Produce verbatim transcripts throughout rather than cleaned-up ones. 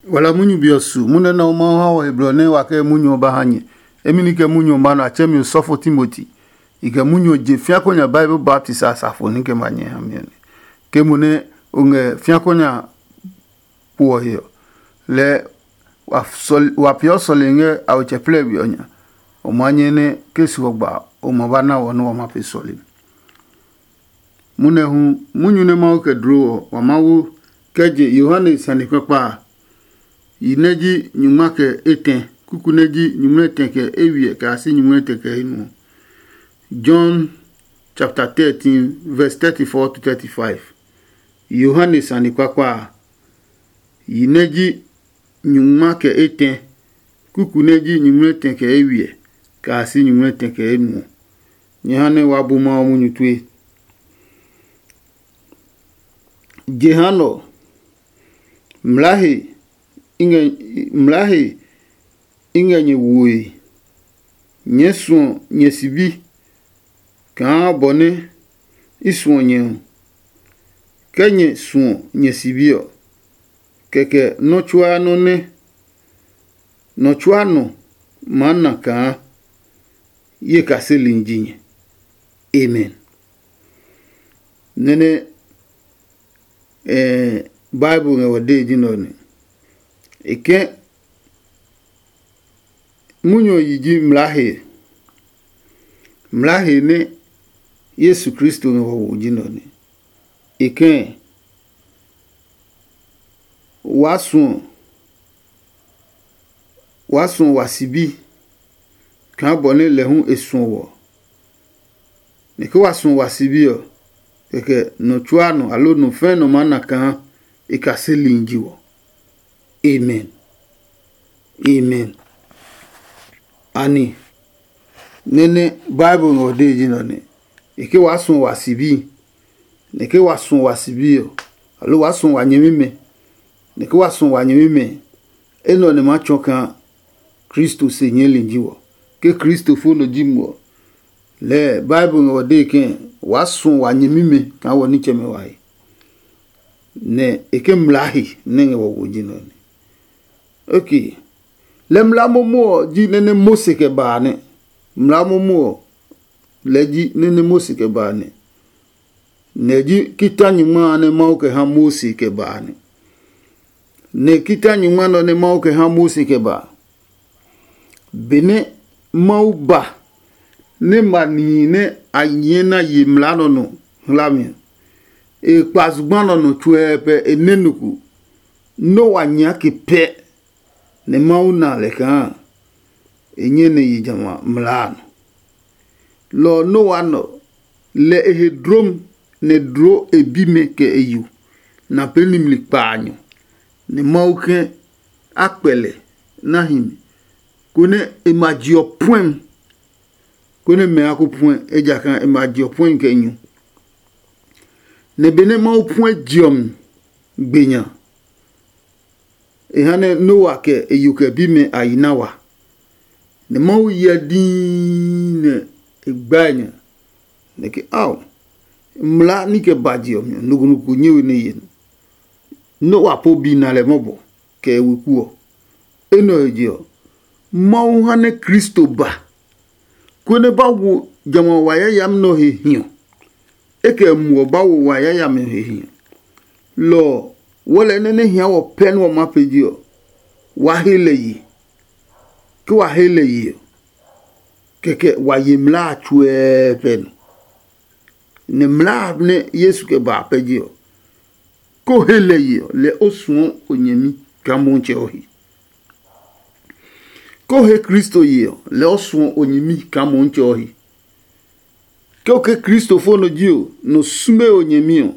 Wala munyu be ɔ su munyu nɛ Mawu ha wɔ he blɔ nɛ wa kɛ munyu ɔ ba ha nyɛ. Emi ni kɛ munyu ɔ ma nɔ a tsɛɛ mi osɔfo Timoti. I kɛ munyu ɔ je fĩa ko nya Bible baptisi a safo ní kɛ ma nyɛ ha mi ɔ nɛ. Ke mo nɛ o ngɛ fĩa ko nya kpo ɔ he ɔ, lɛɛ wa peeɔ sɔlemi ngɛ a otsɛ plɛ we ɔ nya. O ma nyɛ nɛ ke su ɔ gba o ma ba na wɔ nɛ wa ma pee sɔlemi. Munɛ hu munyu nɛ Mawu kɛ dloo ɔ, wa Mawu kɛ je Yohane sane kpakpa a, yi nɛ ji nyungma kɛ etɛ, kuku nɛ ji nyungmlɛtɛ kɛ eywiɛ kɛ a si nyungmlɛtɛ kɛ enuɔ. John chapter thirteen, verse thirty-four to thirty-five. Yohane sane kpakpa a, yi nɛ ji nyungma kɛ etɛ, kuku nɛ ji nyungmlɛtɛ kɛ eywiɛ kɛ a si nyungmlɛtɛ kɛ enuɔ. Nyɛ ha nɛ wa bu Mawu munyu tue. Jehanɛ ɔ, mlaahe i ngɛ mlaahe i ngɛ nyɛ woe. Nyɛɛ suɔ nyɛ sibi kaa bɔ nɛ i suɔ nyɛ ɔ. Kɛ nyɛ suɔ nyɛ sibi ɔ, kɛkɛ nɔ́ tsuaa nɔ́ nɛ nɔ tsuaa nɔ maa na kaa ye kaseli ji nyɛ. Amen. Nɛ́ nɛ Bible ngɛ wɔ dee ji nɛ ɔ nɛ. E kɛ munyu ɔ yi ji mlaa he. Mlaa he nɛ Yesu Kristo ngɛ wɔ wo ji nɛ ɔ nɛ. E kɛ waa suɔ waa suɔ wa sibi kaa bɔ nɛ lɛ hu e suɔ wɔ. Nɛ ke wa suɔ wa sibi ɔ, kɛkɛ nɔ tsuaa nɔ aloo nɔ fɛɛ nɔ maa na kaa e kaseli ji wɔ. Amen. Amen. Ani, nɛ́ nɛ Bible ngɛ ɔ dee ji nɛ ɔ nɛ. E ke waa suɔ wa sibi, nɛ ke wa suɔ wa sibi ɔ, aloo waa suɔ wa nyɛmimɛ, nɛ ke wa suɔ wa nyɛmimɛ, enɛ ɔ nɛ maa tsɔɔ kaa Kristo se nyɛɛli ji wɔ. Ke Kristofo nɔ ji mo ɔ, lɛɛ Bible ngɛ wɔ dee ke waa suɔ wa nyɛmimɛ kaa wɔ nitsɛmɛ wa he. Nɛ e ke mlaa he nɛ ngɛ wɔ wo ji nɛ ɔ nɛ. Ok. Lɛ mlaa momo ɔ ji nɛ nɛ Mose kɛ ba a nɛ. Mlaa momo ɔ lɛ ji nɛ nɛ Mose kɛ ba a nɛ. Nɛ e ji kita nyingma a nɛ Mawu kɛ ha Mose kɛ ba a nɛ. Nɛ kita nyingma nɛ ɔ nɛ Mawu kɛ ha Mose kɛ ba a. Benɛ Mawu ba nɛ ma nihi nɛ a nyɛɛ na ye mlaa nɔ nɔ hlami ɔ, e kpa zugba nɔ nɔ tsuɛ pɛ e nɛ nɔ ko. Noa nya ke pɛ nɛ Mawu na lɛ kaa e nyɛ nɛ yi jamɛ a mlaa a nɔ. Lɔ ɔ Noa nɔ, lɛ e he dlom nɛ dloo e bimɛ kɛ e yo na pee nimli kpaanyɔ, nɛ Mawu ke a kpɛ lɛ na hi mi, konɛ e ma je ɔ puɛm, konɛ mɛ a ko puɛ, ejakaa e ma je ɔ puɛmi kɛ nyu. Nɛ benɛ Mawu puɛ je ɔ mi gbe nya, e ha nɛ Noa kɛ e yo kɛ bimɛ a yi na wa. Nɛ Mawu hyɛ dii nɛ e gbae nya, nɛ ke ao, mlaa ní kɛ ba je ɔ mi ɔ, nɔ ko nɔ ko nyɛ we nɛ ye nɔ. Noa po bi na lɛ mɔbɔ kɛ e weku ɔ. Enɛ ɔ he je ɔ, Mawu ha nɛ Kristo ba, konɛ ba wo jamɛ a wa yayami nɛ ɔ he hiɔ. E kɛ muɔ ba wo wa yayami ɔ he hiɔ. Lɔ ɔ, wɔlɛ nɛ nɛ hia wɔ pɛ nɛ wɔ maa pee je ɔ, wa he lɛ ye. Ke wa he lɛ ye ɔ, kɛkɛ wa ye mlaa a tsuɛɛ pɛ nɔ. Nɛ mlaa a nɛ Yesu kɛ ba a pɛ je ɔ, ko he lɛ ye ɔ, lɛ o suɔ o nyɛmi kaa Mɔtsɛ ɔ he. Ko he Kristo ye ɔ, lɛ o suɔ o nyɛmi kaa Mɔtsɛ ɔ he. Ke o ke kristofo nɔ ji o, nɔ sume o nyɛmi ɔ,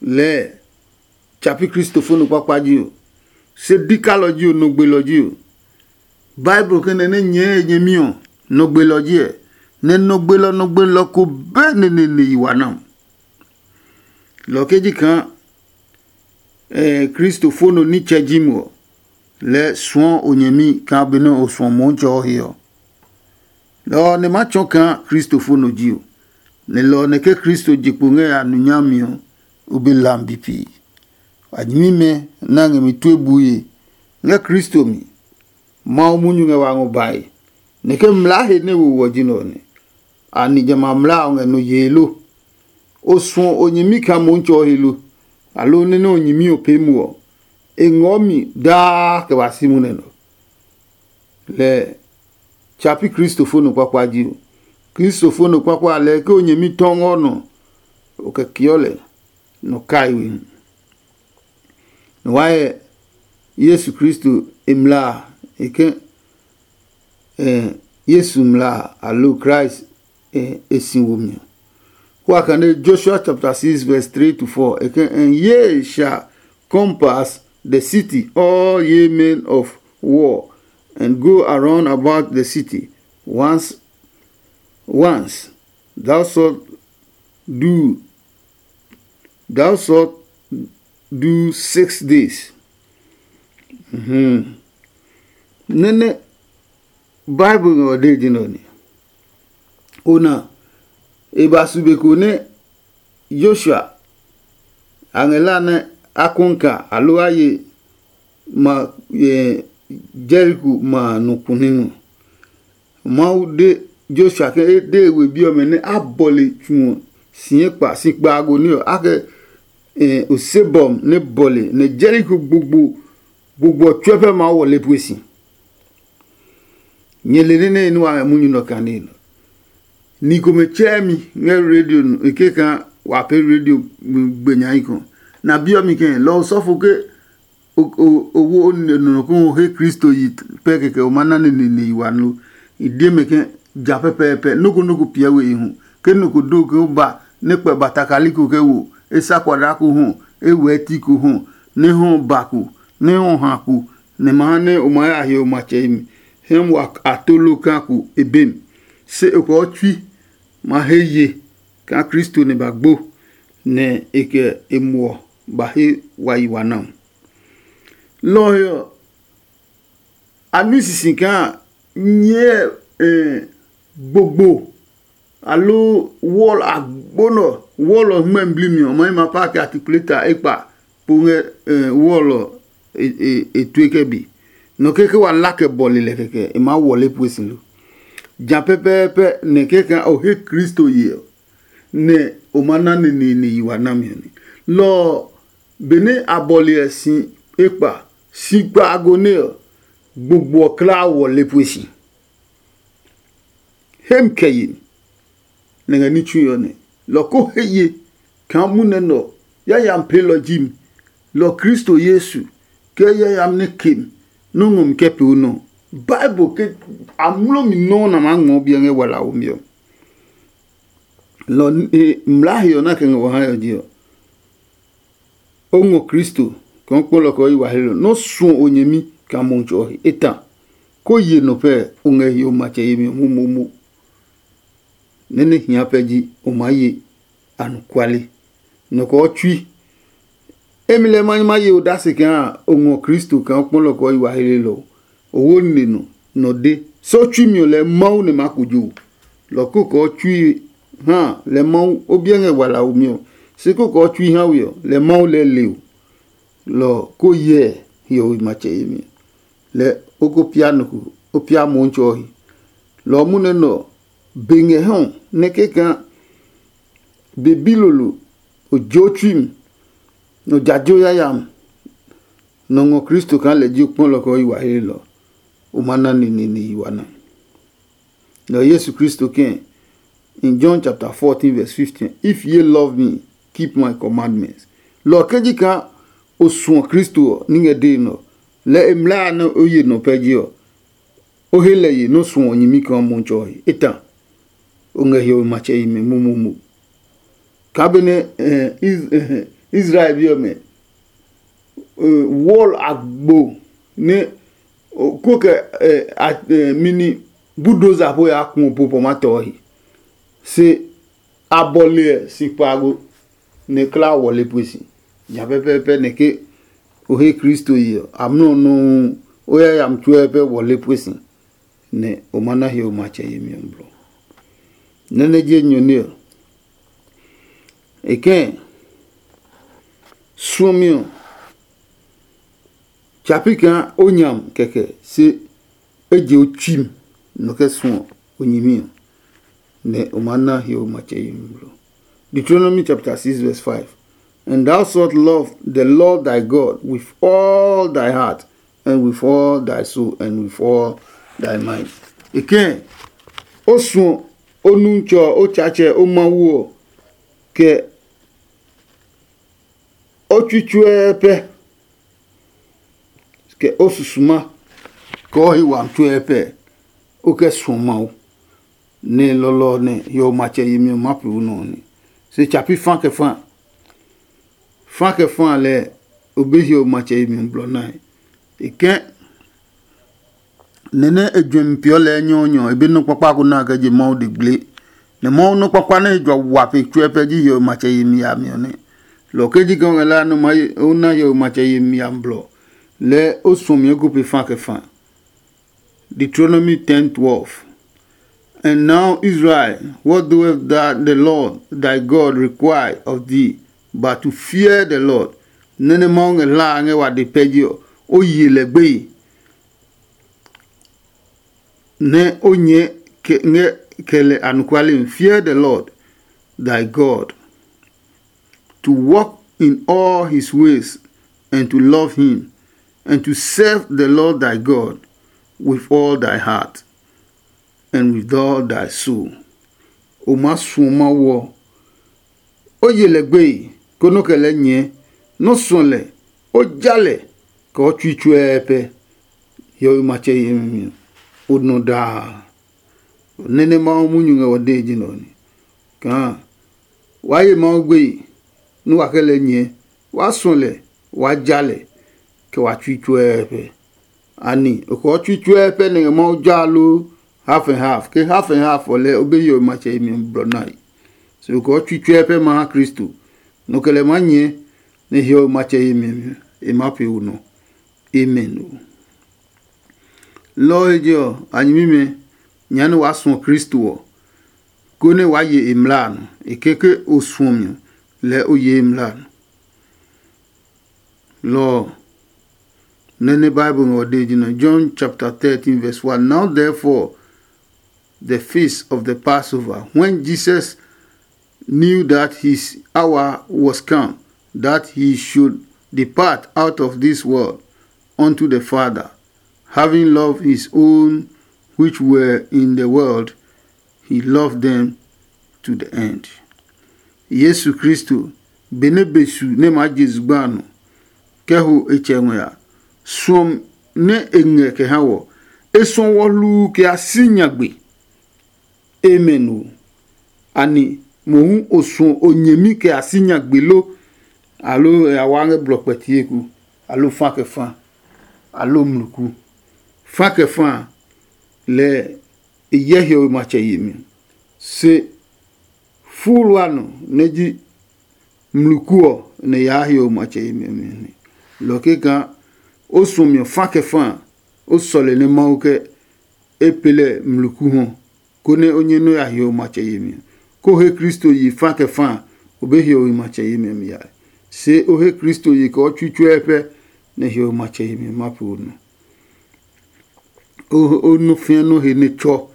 lɛɛ tsa pi kristofo nɔ kpakpa ji o. Se dikalɔ ji o, nɔ gbelɔ ji o. Bible ke nɛ nɛ nyɛɛ e nyɛmi ɔ, nɔ gbelɔ ji ɛ, nɛ nɔ gbelɔ nɔ gbelɔ ko bɛ neneene yi wa na. Lɔ ke ji kaa kristofo nɔ nitsɛ ji mo ɔ, lɛɛ suɔ o nyɛmi kaa benɛ o suɔ Mɔtsɛ ɔ he ɔ. Lɔ ɔ nɛ ma tsɔɔ kaa kristofo nɔ ji o, nɛ lɔ ɔ nɛ ke Kristo je kpo ngɛ ya nu nyami ɔ, o be hlami bipi. A nyɛmimɛ nɛ a ngɛ mi tue bue ngɛ Kristo mi. Mawu munyu ngɛ wa ngɔ bae, nɛ ke mlaa he nɛ wo wɔ ji nɛ ɔ nɛ. Ani jamɛ a mlaa ɔ ngɛ nɔ yee lo? O suɔ o nyɛmi kaa Mohu tsɛ ɔ he lo? Aloo nɛ nɛ o nyɛmi ɔ pee mo ɔ, e ngɔɔ mi daa kɛ ba si munɛ nɔ. Lɛ tsa pi Kristofo nɔ kpakpa ji o. Kristofo nɔ kpakpa a lɛɛ ke o nyɛmi tɔ ngɔ nɔ, o kɛ kiɔ lɛ nɔ kai we hu. Nɔ wa hyɛ Yesu Kristo e mla a, e ke eh, Yesu mla a, aloo Christ eh, e si wo mi ɔ. Kua kane Joshua chapter six verse three to four, e ke, "And ye shall compass the city, all ye men of war, and go around about the city. Once, once thou shalt do, thou shalt do six days." Mhm. Nene Bible ngɛ ɔ de ji nɔ ni. Ona, e ba su be ko nɛ Joshua a ngɛ la nɛ a kɔnka aloo a ye ma Jeriko ma a nɔ kune ngɔ. Mawu de Joshua ke e de e we bi ɔmɛ nɛ a bɔle tsu ɔ si ekpa si kpaago ní ɔ, a kɛ osebɔm nɛ bɔle nɛ Jeriko gbogbo gbogbo ɔ tsuɛ pɛ maa wɔle pue si. Nyɛ le nɛ nɛ e nu a ngɛ munyu nɔ kane nɔ. Ni komɛ tsɛɛ mi ngɛ radio nɔ e ke kaa wa pee radio gbe nyai kɔ. Na bi ɔ mi kɛ lɔ sɔfo ke o wo nɔ ko o he Kristo yi pɛ kɛkɛ o ma na nene ne yi wa lo. I de mɛ ke ja pɛpɛɛpɛ noko noko piɛ we e hu. Ke noko do ke o ba nɛ kpɛ ba takali ko kɛ wo, e sa kwada ko hu, e wɛɛ ti ko hu, nɛ hu ba ko, nɛ hu ha ko, nɛ ma ha nɛ o ma ya he o matsɛ yemi. Hɛm wa a tolo ka ko e be mi. Se o kɔɔ tsui ma he ye kaa Kristo nɛ ba gbo, nɛ e kɛ e muɔ ba he wa yi wa na. Lɔ ɔ he ɔ, a nui sisi kaa nyɛɛ gbogbo aloo wɔl agbo nɔ wɔl ɔ hmɛ bli mi ɔ, ma yi ma pa kɛ atikuleta ekpa po ngɛ wɔl ɔ e tue kɛ bi. Nɔ keke wa la kɛ bɔle lɛ kɛkɛ e maa wɔle pue si lo. Ja pɛpɛɛpɛ nɛ kɛkɛ o he Kristo ye ɔ, nɛ o ma na neneene yi wa nami ɔ nɛ. Lɔ ɔ, benɛ a bɔle ɛ si ekpa si kpaago nɛ ɔ, gbogbo ɔ klaa wɔle pue si. Hem kɛ ye mi, nɛ ngɛ ní tsui ɔ nɛ. Lɔ ko he ye kaa munɛ nɛ ɔ yayami peelɔ ji mi. Lɔ Kristo Yesu kɛ yayami nɛ ke mi nɔ́ ngɔ mi kɛ pee o nɔ. Bible ke amlɔ mi nɔuu nɛ a maa ngɔɔ biɛ ngɛ walaomi ɔ. Lɔ mlaa he ɔ nɛ a kɛ ngɛ wɔ ha ɔ je ɔ, o ngɔ Kristo kaa o kpɔlɔ kɛ o yi wa hlelɔ nɛ o suɔ o nyɛmi kaa Mumi tsɔ ɔ he etã. Ko ye nɔ pɛ o ngɛ hiɔwe matsɛ yemi ɔ momomo. Nɛ nɛ hia pɛ ji o maa ye anɔkuale. Nɔ kɛ o tsui. Emi lɛ ma ma ye odase kaa o ngɔ Kristo kaa o kpɔlɔ kɛ o yi wa hlelɔ. O wo nine nɔ nɔ de. Se o tsui mi ɔ lɛ Mawu nɛ maa kojo. Lɔ ko kɛ o tsui ha lɛ Mawu o biɛ ngɛ walaomi ɔ. Se ko kɛ o tsui ha we ɔ lɛ Mawu lɛ le o. Lɔ ko hyɛ hiɔwe matsɛ yemi ɔ. Lɛ o ko pia nɔ ko o pia Mumi tsɔ ɔ he. Lɔ ɔ munɛ nɛ ɔ be ngɛ hɛ ɔ nɛ kɛkaa be bilolo o jo tsui mi nɔ jajo yayami nɔ ngɔ Kristo kaa lɛ ji o kpɔlɔ kɛ o yi wa hlelɔ. O ma na neneene yi wa na. Nɛ Yesu Kristo kɛɛ in John chapter fourteen verse fifteen, "If ye love me, keep my commandments." Lɔ ɔ ke ji kaa o suɔ Kristo ɔ ní ngɛ dee nɛ ɔ, lɛ e mlaa a nɛ o ye nɔ pɛ je ɔ, o he lɛ ye nɛ o suɔ nyɛmi kaa Mumi tsɔ ɔ he etã. O ngɛ hiɔwe matsɛ yemi momomo. Kaa benɛ Israel bi ɔmɛ wɔl agbo nɛ ko kɛ mini budoza po ya kuɔ po pɔ ma tɔ ɔ he. Se a bɔle ɛ si kpaago nɛ kla wɔle pue si. Nya pɛpɛɛpɛ nɛ ke o he Kristo yi ɔ, amlɔ nɔuu o yayami tsuɛ pɛ wɔle pue si, nɛ o ma na hiɔwe matsɛ yemi ɔ blɔ. Nɛ nɛ je nyɔne ɔ, e kɛ̃ suɔmi ɔ Tsa pi kaa o nyam kɛkɛ, se e je o tsuim nɔ kɛ suɔ o nyɛmi ɔ, nɛ o maa na hiɔwe matsɛ yemi blɔ. Deuteronomy chapter six verse five. And thou shalt love the Lord thy God with all thy heart, and with all thy soul, and with all thy mind. E kɛ̃, o suɔ o nuntsɔ ɔ, o Tsaatsɛ, o Mawu ɔ, kɛ o tsui tsuɛɛ pɛ, kɛ o susuma, kɛ o he wami tsuɛɛ pɛ, o kɛ suɔ Mawu. Nɛ lɔlɔ ɔ nɛ hiɔwe matsɛ yemi ɔ maa pee o nɔ ɔ nɛ. Se tsa pi fa kɛ fa. Fa kɛ fa lɛ o be hiɔwe matsɛ yemi ɔ blɔ nae. E kɛ̃, nɛ nɛ e juɛmi peeɔ lɛ enyɔɔnyɔ ɔ, e be nɔ́ kpakpa ko na kɛ je Mawu de gble. Nɛ Mawu nɔ́ kpakpa nɛ e jua wa pe tsuɛ pɛ ji hiɔwe matsɛ yemi yami ɔ nɛ. Lɔ ke ji kaa o ngɛ la nɛ o na hiɔwe matsɛ yemi yami blɔ, lɛɛ o suɔmi eko pe fa kɛ fa. Deuteronomy ten twelve. And now, Israel, what doeth that the Lord thy God require of thee, but to fear the Lord? Nɛ́ nɛ Mawu ngɛ hlaa ngɛ wa de pɛ je ɔ, o ye lɛ gbeye, nɛ o nyɛɛ kɛ ngɛ kɛ lɛ anɔkuale mi. Fear the Lord thy God, to walk in all his ways, and to love him, and to serve the Lord thy God with all thy heart, and with all thy soul. O maa suɔ Mawu ɔ, o ye lɛ gbeye, konɛ o kɛ lɛɛ nyɛɛ, nɛ o suɔ lɛ, o ja lɛ, kɛ o tsui tsuɛɛ pɛ. Hiɔwe matsɛ yemi ɔ, o nɔ daa. Nɛ́ nɛ Mawu munyu ngɛ wa dee ji nɛ ɔ nɛ. Kaa waa ye Mawu gbeye, nɛ wa kɛ lɛ nyɛɛ, waa suɔ lɛ, waa ja lɛ, kɛ wa tsui tsuɛɛ pɛ. Ani o kɔɔ tsui tsuɛɛ pɛ nɛ ngɛ Mawu ja loo? Half and half. Ke half and half ɔ lɛɛ, o be hiɔwe matsɛ yemi ɔ blɔ nae. Se o kɔɔ tsui tsuɛɛ pɛ ma ha Kristo, nɔ kɛ lɛ maa nyɛɛ nɛ hiɔwe matsɛ yemi ɔ e maa pee o nɔ. Amen o. Lɔ ɔ he je ɔ, a nyɛmimɛ, nyɛɛ nɛ waa suɔ Kristo ɔ, konɛ waa ye e mlaa a nɔ. E keke o suɔmi ɔ, lɛɛ o ye e mlaa a nɔ. Lɔ ɔ, nɛ nɛ Bible ngɛ ɔ dee ji nɛ John chapter thirteen verse one. Now therefore, the feast of the Passover, when Jesus knew that his hour was come, that he should depart out of this world unto the Father, having loved his own which were in the world, he loved them to the end. Yesu Kristo, benɛ be su nɛ maa je zugba a nɔ, kɛ ho e tsɛ ngɔ ya, suɔmi nɛ e ngɛ kɛ ha wɔ, e suɔ wɔ hluu kɛ ya si nyagbe. Amen o. Ani mohu o suɔ o nyɛmi kɛ ya si nyagbe lo? Aloo e ya wa ngɛ blɔ kpɛtieko, aloo fa kɛ fa, aloo mluku? Fa kɛ fa a, lɛ e hyɛ hiɔwe matsɛ yemi. Se fuulu a nɔ nɛ ji mluku ɔ nɛ yaa hiɔwe matsɛ yemi ɔ mi ɔ nɛ. Lɔ keka o suɔmi ɔ fa kɛ fa a, o sɔle nɛ Mawu kɛ e pee lɛ mluku hɔ, konɛ o nyɛ nɔ́ ya hiɔwe matsɛ yemi ɔ. Ko he Kristo yi fa kɛ fa a, o be hiɔwe matsɛ yemi ɔ mi yae. Se o he Kristo yi kɛ o tsui tsuɛ pɛ, nɛ hiɔwe matsɛ yemi ɔ ma pee o nɔ. O o nɔ fĩa nɔ he nɛ tsɔ.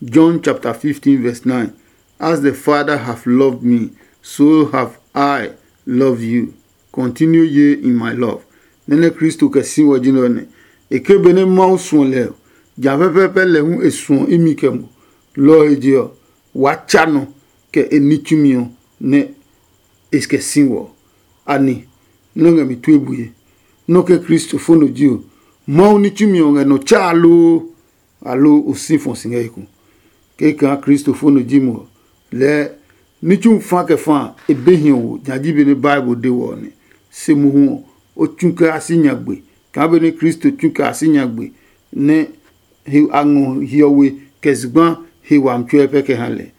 John chapter fifteen verse nine. As the Father have loved me, so have I loved you. Continue ye in my love. Nɛ́ nɛ Kristo kɛ si wɔ ji nɛ ɔ nɛ. E ke benɛ Mawu suɔ lɛ ɔ, ja pɛpɛɛpɛ lɛ hu e suɔ imi kɛ mo. Lɔ ɔ he je ɔ, waa tsa nɔ kɛ e ní tsumi ɔ nɛ e kɛ si wɔ. Ani nɔ́ ngɛ mi tue bue? Nɔ́ ke Kristo fo nɔ ji ɔ, Mawu ní tsumi ɔ ngɛ nɔ tsaa loo? Aloo o si fɔ si ngɛ eko? Ke kaa Kristo fo nɔ ji mo ɔ, lɛɛ ní tsu fa kɛ fa a, e be hiɔwo nya ji benɛ Bible de wɔ ɔ nɛ. Se mohu ɔ, o tsu kɛ ya si nyagbe kaa benɛ Kristo tsu kɛ ya si nyagbe, nɛ a ngɔ hiɔwe kɛ zugba he wami tsuɛ pɛ kɛ ha lɛ.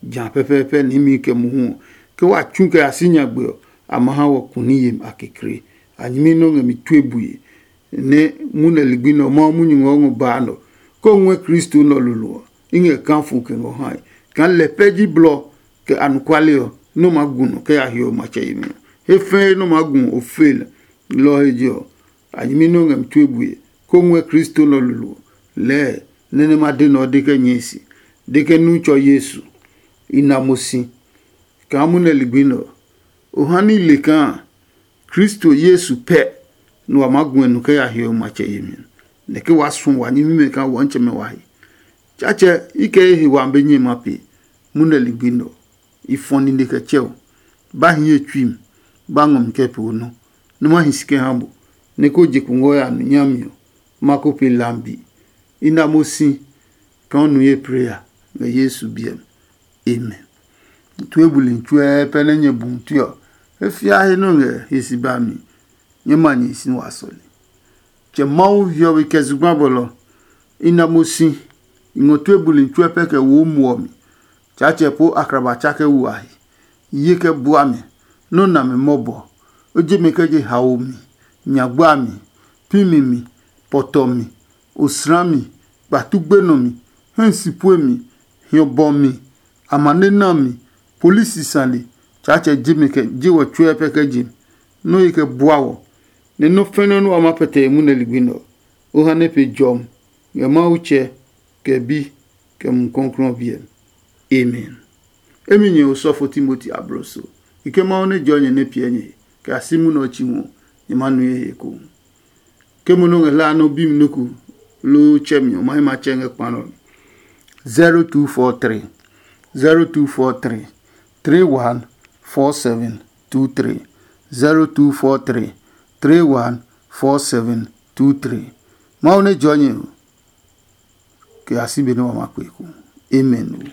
Ja pɛpɛɛpɛ niimi kɛ mohu ɔ, ke wa tsu kɛ ya si nyagbe ɔ, a ma ha wɔ kuni yemi a kekle. A nyɛmi nɛ o ngɛ mi tue bue, nɛ munɛ ligbi nɛ ɔ Mawu munyu ngɛ o ngɔ baa nɛ ɔ, kɛ o ngɔɛ Kristo nɛ ɔ lolo ɔ, i ngɛ kaa fu kɛ ngɔ hae. Kaa lɛ pɛ ji blɔ kɛ anɔkuale ɔ, nɛ o maa gu nɔ kɛ ya hiɔ matsɛ yemi ɔ. He fɛɛ nɛ o maa gu ɔ, o fe lɛ. Lɔ ɔ he je ɔ, a nyɛmi nɛ o ngɛ mi tue bue, kó ngɔɛ Kristo nɛ ɔ lolo lɛɛ nɛ nɛ ma de nɛ ɔ de kɛ nyɛe se, de kɛ nu tsɔ Yesu. I na mo si kaa munɛ ligbi nɛ ɔ, o ha ní le kaa Kristo Yesu pɛ nɛ wa maa gu ngɛ nu kɛ ya hiɔwe matsɛ yemi, nɛ ke waa suɔ wa nyɛmimɛ kaa wɔntsɛmɛ wa he. Tsatsɛ, i kɛ ye he wa be nyɛ ma pee, munɛ ligbi nɛ ɔ, i fɔ nine kɛ tsɛ o, ba hi ye tsui mi, ba ngɔ mi kɛ pee o nɔ, nɛ ma hi si kɛ ha bo, nɛ ko je kungwɔ ya nu nyami ɔ, ma ko pe lambi. I na mo si kaa o nu ye preya ngɛ Yesu biɛ mi. Amen. Tue buli tsuɛ pɛ nɛ nyɛ bu tue ɔ, e fia he nɔ ngɛ he si ba mi, nyɛ ma nyɛ si wa sɔle. Tsɛ Mawu hiɔwe kɛ zugba bɔlɔ, i na mo si, i ngɔ tue buli tsuɛ pɛ kɛ wo muɔ mi. Tsaatsɛ po akraba tsa kɛ wu a he. Ye kɛ bua mi, nɔ́ na mi mɔbɔ. O je mi kɛ je haomi, nyagba mi, pimi mi, pɔtɔ mi, osra mi, kpatu gbenɔ mi, hɛ si pue mi, hiɔ bɔ mi, amane na mi, polisi sane. Tsaatsɛ je mi kɛ je wɔ tsuɛ pɛ kɛ je mi, nɔ́ ye kɛ bua wɔ, nɛ nɔ́ fɛnɛ nɛ wa ma pɛtɛ e munɛ ligbi nɛ ɔ, o ha nɛ pe jɔmi ngɛ Mawu Tsɛ, kɛ Bi, kɛ Mumi Klɔuklɔu ɔ biɛ mi. Amen. Emi nyɛ osɔfo Timoti abloso, kikɛ Mawu nɛ jɔ nyɛ nɛ piɛ nyɛ he, kɛ a si munɛ ɔ tsi ngɔ nyɛ ma nue he ekohu. Ke mo nɔ ngɛ hlaa nɛ o bi mi nuku loo tsɛ mi ɔ, ma he ma tsɛ ngɛ kpa nɔ mi. zero two four three, zero two four three, three one four seven two three, zero two four three, three one four seven two three. Mawu nɛ jɔ nyɛ o, kɛ a si be nɛ wa ma kpe ko. Amen.